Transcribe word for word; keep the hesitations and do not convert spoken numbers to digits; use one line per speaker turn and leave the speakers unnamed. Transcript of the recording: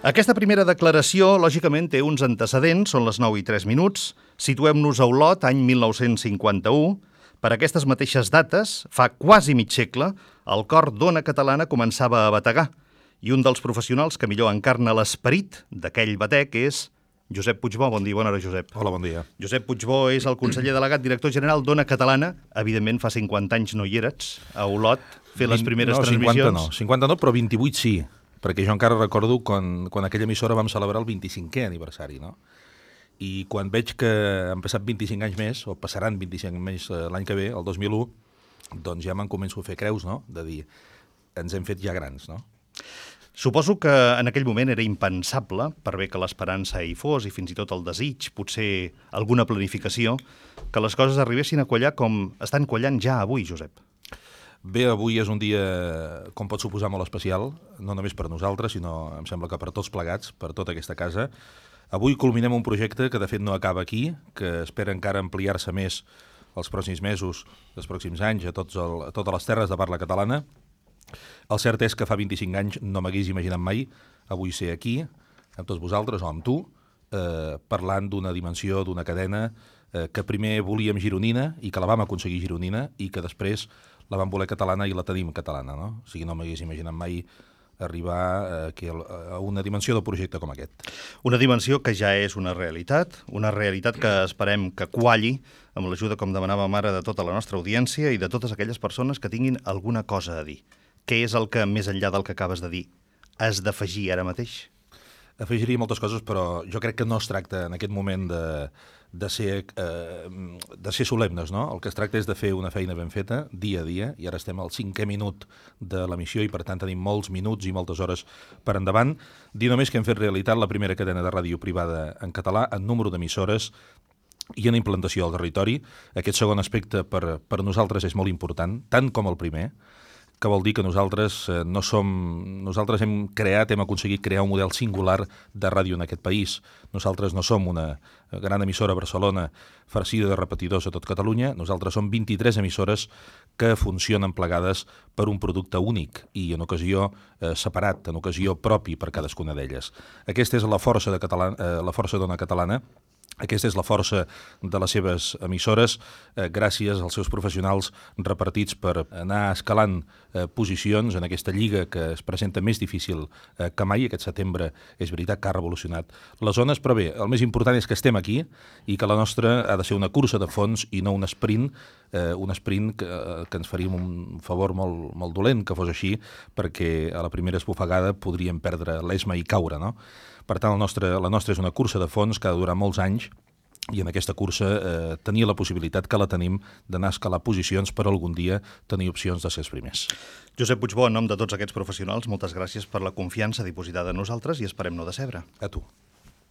Aquesta primera declaració, lògicament, té uns antecedents, són les nou i tres minuts. Situem-nos a Olot, any mil nou-cents cinquanta-u. Per aquestes mateixes dates, fa quasi mig segle, el cor d'Ona Catalana començava a bategar, i un dels professionals que millor encarna l'esperit d'aquell batec és Josep Puigbó. Bon dia, bona hora, Josep.
Hola, bon dia.
Josep Puigbó és el conseller delegat, director general d'Ona Catalana. Evidentment, fa cinquanta anys no hi eres, a Olot, fer les primeres
no,
transmissions.
cinquanta no, cinquanta no, però vint-i-vuit sí, perquè jo encara recordo quan, quan aquella emissora vam celebrar el vint-i-cinquè aniversari, no? I quan veig que han passat vint-i-cinc anys més, o passaran vint-i-cinc anys eh, l'any que ve, el dos mil u, doncs ja me'n començo a fer creus, no?, de dir, ens hem fet ja grans, no?
Suposo que en aquell moment era impensable, per bé que l'esperança hi fos i fins i tot el desig, potser alguna planificació, que les coses arribessin a quallar com estan quallant ja avui, Josep.
Bé, avui és un dia, com pot suposar, molt especial, no només per nosaltres, sinó, em sembla que per tots plegats, per tota aquesta casa. Avui culminem un projecte que, de fet, no acaba aquí, que espera encara ampliar-se més els pròxims mesos, els pròxims anys, a, tots el, a totes les terres de parla catalana. El cert és que fa vint-i-cinc anys no m'hagués imaginat mai avui ser aquí, amb tots vosaltres o amb tu, eh, parlant d'una dimensió, d'una cadena eh, que primer volíem gironina i que la vam aconseguir gironina i que després la vam voler catalana i la tenim catalana, no? O sigui, no m'hagués imaginat mai arribar eh, aquí a una dimensió del projecte com aquest.
Una dimensió que ja és una realitat, una realitat que esperem que qualli amb l'ajuda, com demanàvem ara, de tota la nostra audiència i de totes aquelles persones que tinguin alguna cosa a dir. Què és el que, més enllà del que acabes de dir, has d'afegir ara mateix?
Afegiria moltes coses, però jo crec que no es tracta en aquest moment de, de, ser, eh, de ser solemnes, no? El que es tracta és de fer una feina ben feta, dia a dia, i ara estem al cinquè minut de l'emissió i per tant tenim molts minuts i moltes hores per endavant. Dir només que hem fet realitat la primera cadena de ràdio privada en català en número d'emissores i en implantació al territori. Aquest segon aspecte per, per nosaltres és molt important, tant com el primer, que vol dir que nosaltres eh, no som... Nosaltres hem creat, hem aconseguit crear un model singular de ràdio en aquest país. Nosaltres no som una gran emissora a Barcelona farcida de repetidors a tot Catalunya. Nosaltres som vint-i-tres emissores que funcionen plegades per un producte únic i en ocasió eh, separat, en ocasió propi per cadascuna d'elles. Aquesta és la força de Català, eh, la força d'Ona Catalana. Aquesta és la força de les seves emissores, eh, gràcies als seus professionals repartits per anar escalant eh, posicions en aquesta lliga que es presenta més difícil eh, que mai. Aquest setembre és veritat que ha revolucionat les zones, però bé, el més important és que estem aquí i que la nostra ha de ser una cursa de fons i no un sprint, eh, un sprint que, que ens faríem un favor molt, molt dolent que fos així, perquè a la primera esbufegada podríem perdre l'esma i caure, no? Per tant, el nostre, la nostra és una cursa de fons que ha de durar molts anys i en aquesta cursa eh, tenir la possibilitat que la tenim d'anar a escalar posicions per algun dia tenir opcions de ser els primers.
Josep Puigbó, en nom de tots aquests professionals, moltes gràcies per la confiança dipositada en nosaltres i esperem no decebre.
A tu.